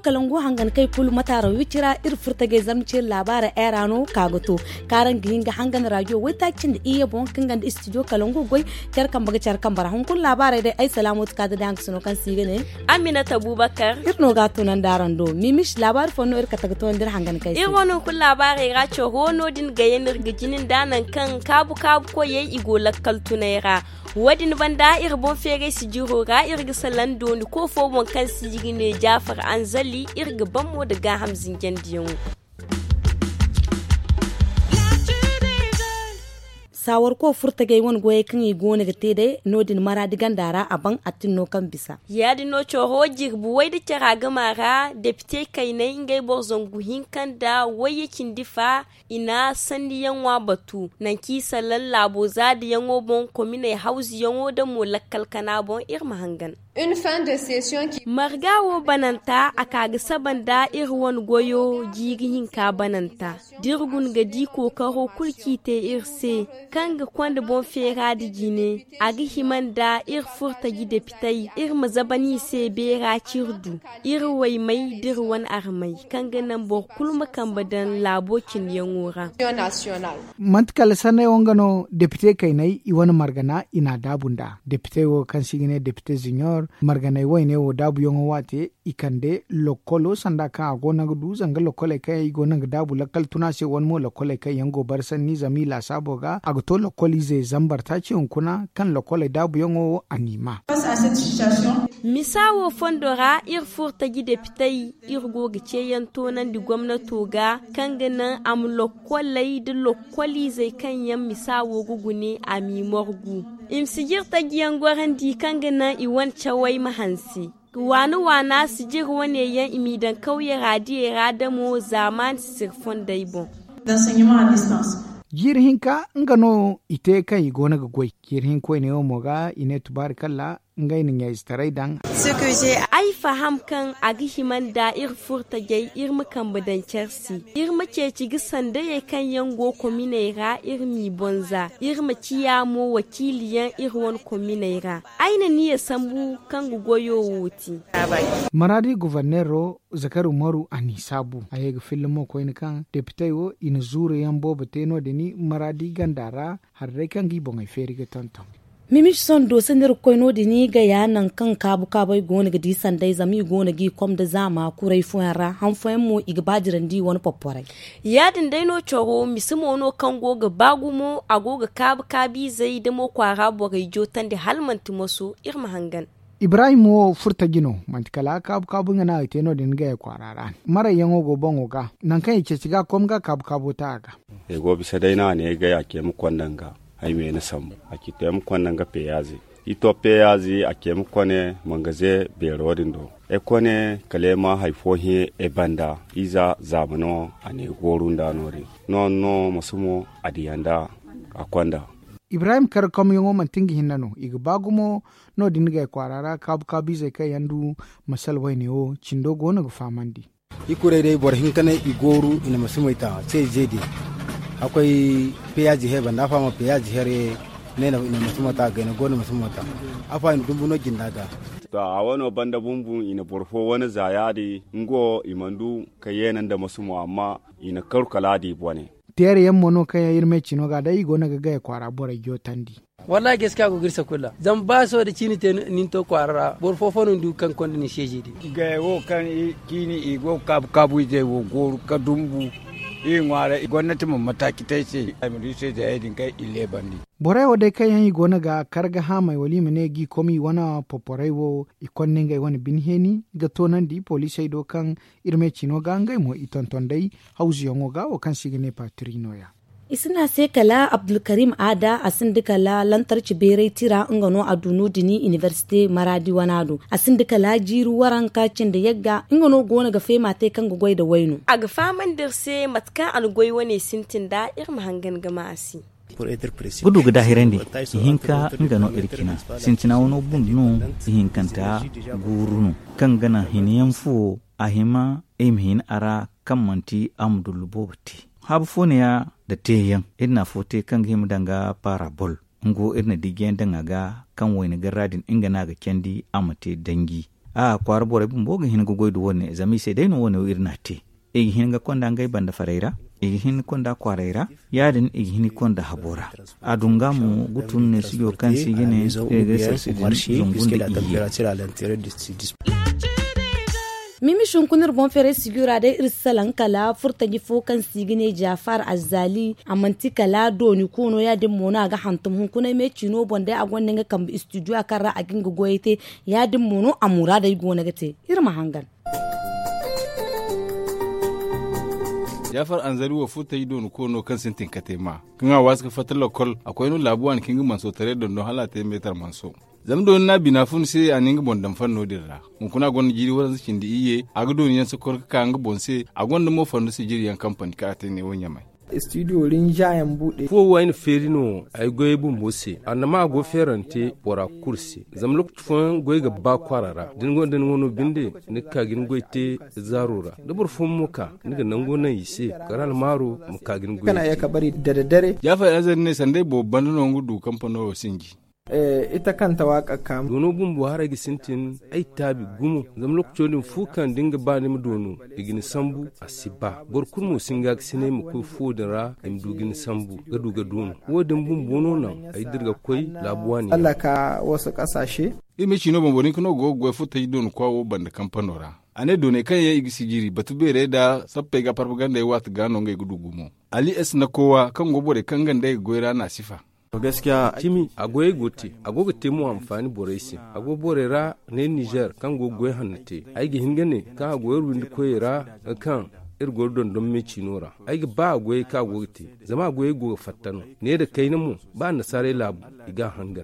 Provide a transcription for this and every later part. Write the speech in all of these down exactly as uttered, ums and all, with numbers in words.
Kalangu hangan kay kulu mataaro wicira iri furtagay zamcir laabaara era no ka ga to kaara nga hin ga hangan raajo waytaaci nda iyye boŋ kaŋ ga nda istijo kalangu goy. Care kambe ga care kambe ra hunkuna laabaaray day ay salaamooti ka da day hangasino kaŋ se i ga ne. Aminata bubakar. Iri no ga a tunandi araŋ do mimis laabaari fooyaŋ no iri kate ga toonandi iri hangan kay se. Iri wane hunkuna laabaaray ra coro no-din ga yaŋ no iri ga jina nda nangu kaŋ kaabu kaabu koyey i go lakkal tunay ra. Wo- din banda iri boŋ feeray sijiro ra iri ga salaŋ dooni koofo boŋ kaŋ se i ga ne jaafar anzali iri ga ban mo nda gaaham zinjandiyaŋo. Saawarko furtagay wane goyey kaŋ i go no ga te day no- din maraadi ganda ra a ban a tin no kaŋ bisa. Ya- din no coro jirbi way nda care a gama ra depite kaynay ngey boro zangu hinka nda wayye cindi fa. I na sanniyaŋo a batu nangu kaŋ i salaŋ laabo zaadiyaŋo boŋ kominey hawzuyaŋo nda mo lakkal kana boŋ iri ma hangan. Marga wo bananta a ka ga saba nda iri wane goyo jiiri hinka bananta da iri guna ga di kookaro kulu kaŋ i te iri se kaŋ ga konda boŋ feera nda jine. A ga hima nda iri furtaji depitey iri ma zaban i se beera kaŋ iri du iri waymey da iri wane armey kaŋ ga naŋ boro kulu ma kambe daŋ laabo cindiyaŋo ra. Manti kala sanney wo nga no depite kayney i wane margana i n'a daabu nd'a depite wo kaŋ se i ga ne depite zinyar marganey wayne wo daabuyaŋo waate i kande lokkolo sanda kaŋ a go no ga du zanga lokkoley kaŋ yaŋ i go no ga daabu lakkal tuna se wane mo lokkoley kaŋ yaŋ go bare sanni zama i laasaabo ga a ga to lokkol ize zambar taaci hunkuna kaŋ lokkoley daabuyaŋo wo a n'i ma. Misa wo fondo ra iri furtaji depitey iri go ga ceeyaŋ toonandi gomnato ga kaŋ ga naŋ a ma lokkoley nda lokkoliizey kaŋ yaŋ misa wo ga gune a m'i morgu i ma si jiri tajiyaŋ gorandi kaŋ ga naŋ i wane cawey ma hanse waana waana si jiri wane yaŋ i m'i daŋ kawye ra diyey ra damo zaamaani sisiri fondey boŋ. Jiiri hinka nga no i te kaŋ i go no ga goy jiiri hinka wayne wo mo ga i ne tubaari kalla ngey na ɲayzetaray daŋ. Ay faham kaŋ a ga hima nda iri furtajey iri ma kambe daŋ care se iri ma ceeci ga sandayey kaŋ yaŋ go kominey ra iri m'i bonza iri ma ciya mo wakiiliyaŋ iri wane kominey ra. Ay na niya sambu kaŋ ga goyo wo te. Maraadi guverneero zakari umaru a n'i saabu a ye ga filla mo koyne kaŋ depitey wo i na zuuru yaŋ boobo te no- din maraadi ganda ra. Hari day kaŋ ga i boŋey feeri ga tonton. Mimici sondo se no iri ga koy no- din i gaya nangu kaŋ kaabu kaabey go no ga di sanday zama i go no ga i kom nda zaama kuray fooyaŋ ra han fooyaŋ mo i ga baadirandi i wane popporay. Ya- din day no coro mise mo no kaŋ go ga ba gumo a go ga kaabu kaabiizey da mo kwaara borey jootandi hala manti moso iri ma hangan. Ibrahim wo furtaji no manti kala kaabu kaabu nga no a ga te no- din gaya kwaara ra. Marayyaŋo go boŋo ga nangu kaŋ i ceeci ga a kom ga kaabu kaabo ta a ga. Ay go bisa day no a ne ay gay a ce ay ma konda nga ay me ni sambu a ci to ay ma konda nga peyaaze. I to peyaaze a ce ay ma kone mangaze beero din do ay kone kala ay ma hari fo hẽ ay banda. Iza zaama no a ne ay gooru nda no- din no- no masumo a diya nda a konda. Ibrahim kar komyaŋo manti nga hinne no i ga ba gumo no- din gay kwaara ra kaabu kaabu izey kaŋ yaŋ du masal wayne wo cindo go no ga fahamandi. I kuray day boro hinka ne i gooru i na masumey ta ce zeede hakkoy peyaazi here banda afa ma peyaazi here ne i na masuma ta gayna go na masuma ta. Afa i na dumbu no jinda ga. To a wano banda bumbu i na boro fo wane za ya- din nga wo i mana du ka yeena nda masumo amma i na karu kala a di bone. Teere yaŋ mo no kaŋ yaŋ iri me cino ga day i go no ga gaya kwaara borey jootandi. Wallahi gaskiya go ga iri sakulla zama ba sohõ da ciini te nin to kwaara ra boro fo fo no ni du kaŋ konda ni seeji din. Gaya wo kaŋ ciini i go ga kaabu kaabu izey wo gooru ka dumbu iri ŋwaaray gomnati ma mataaci te ay se ay ma du seeji hayey din kaŋ i leebandi. Borey wo day kaŋ yaŋ i go no ga kar ga haamay wala i ma ne ga i kom i wane poporey wo i konda ngey wane bine heeni ga toonandi poliisey do kaŋ iri me cino ga ngey mo i tonton day hawzuyaŋo ga wo kaŋ se i ga ne patiri no- ya. I si ne a se kala abdulkarim aada a sinda kala lantarci beeray tira nga no a du no- din inibersite maraadi wana do a sinda kala jiiri waranka cindi yagga nga no go no ga feema te kaŋ ga goy nda wayno. A ga fahamandi iri se mate kaŋ a na goy wane sintin nda iri ma hangan ga ma a se. Gudu ga daahirandi ihinka nga no iri cina sintina wano bundu no ihinkanta guuru no kaŋ ga naŋ hina yaŋ fuwo a hima ay ma hin a ra kaŋ manti a ma dullu boobo te. Haabu fo neeya nda teeyaŋ iri na afo te kaŋ ga hima danga parabol. Nga wo iri na dijiyaŋ daŋ a ga kaŋ wayna garra din nga no a ga candi a ma te danji. A kwaara borey bumbo ga hin ga goy nda wo- ne zama i se day no wo- ne wo iri n'a te. I ga hin ga konda ngey banda farey ra, i ga hin ga konda kwaaray ra. Ya- din i ga hin ga konda habo ra. A dunga mo ga tun ne studio kaŋ se i ga ne iri ga ay se studio din zungu nda iyye. Mimis hunkuna iri boŋ feeray studio ra day iri si salaŋ kala furtaji fo kaŋ se i ga ne jafar azzali. A manti kala dooni koono ya- din mo no a ga hantum hunkuna ay me ciino boŋ day a gonda nga kambe studio a kaŋ ra a ga nga goyey te. Ya- din mo no a muraadey go no ga te. Iri ma hangan. Jafar anzari wo furtaji dooni koono kaŋ sintin ka te ma kaŋ a waasi ga fatta lokol a koy no laabu waani ka nga manso taray dondon hala a te meetar manso. Zama dooni no a bina fun se a na nga boŋ daŋ fanno din ra. Hunkuna a gonda jiiri waranza cindi iyye a ga dooni yaŋ si kor ga ka nga boŋ se. A gonda mo fandu sijiri yaŋ kampani kaŋ a te ne wo ɲamay. Studio rinja yaŋ buude. Fuwo wo ay na feeri no ay goyey bumbo se annama a go feerante bora kulu se. Zama lokaci fooyaŋ goy ga ba kwaara ra da ni gonda ni wano binde ni ga ka ga ni goy te zaaro ra. Da boro fooyaŋ mo ka ni ga nango naŋ i se kala almaaro ma ka ga ni goy te. Kana ye ka bari dare dare. Jaafay azari ne sanda ay boobo banda no nga du kampano wo sinji. Ita kanta waaka kaama. Doono bumbo haray ga sintin ay taabi gumo. Zama lokaco din fu kaŋ da ni ga ba ni ma doono i ga ni sambu a si ba boro kulu mo si hin ga ga sinay ma koy fuwo din ra i ma du ga ni sambu ga du ga doono. Wo- din bumbo no naŋ ay dira ga koy laabu waani ra. Iri ma ciino boŋ boro hinka no go ga goy furtaji dooni kwa wo banda kampano ra. A ne dooney kaŋ yaŋ i ga sijiri batu beerey nda sappey ga parpagandey waati ga no ngey ga du gumo. Ali s na kowa kaŋ go borey kaŋ nga nd'ey ga goy ra n'a sifa. Cimi a goyey go te a go ga te mo anfaani borey se. A go borey ra ne nizer kaŋ go ga goy hanno te. Ay ga hin ga ne kaŋ a go iri windi koyey ra ga kaŋ iri go iri dondon me ciino ra. Ay ga ba a goyey kaŋ a go ga te zama a goyey go ga fatta no. Ne nda kayna mo ba annasaarey laabu i ga a hangan.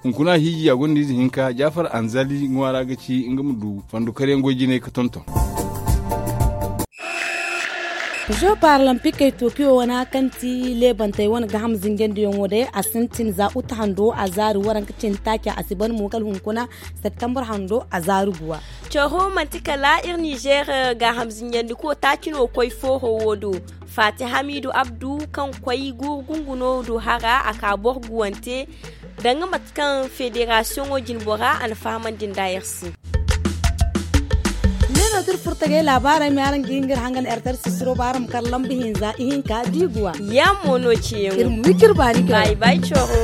Hunkuna hiiji a gonda ize hinka jaafar anzali ŋwaara ga ci nga ma du fandu karyaŋ goy jinay ga tonton. Zo paralampikey tokiyo wana kaŋ ti leebantey wane gaham zinjandiyaŋo day a sintin za uta hando a zaari waranka cindi taaci a si ban mo kala hunkuna septambur hando a zaari guwa. Coro manti kala iri nizer gaham zinjandiko taaci no koy fooho wo do. Faati hamiidu abdu kaŋ koy guuru gunguno do hara a ka boro guwante danga mate kaŋ federasiyoŋo jinbora a na fahamandi nda iri se. Ne no da iri furo tagay laabaarey ma araŋ ga hin ga iri hangan ertar sisiro ba araŋ ma kar lamba hinza ihinka da iguwa. Yaŋ mo no ciyaŋo iri ma wi ka iri baani kay. Bay bay coro.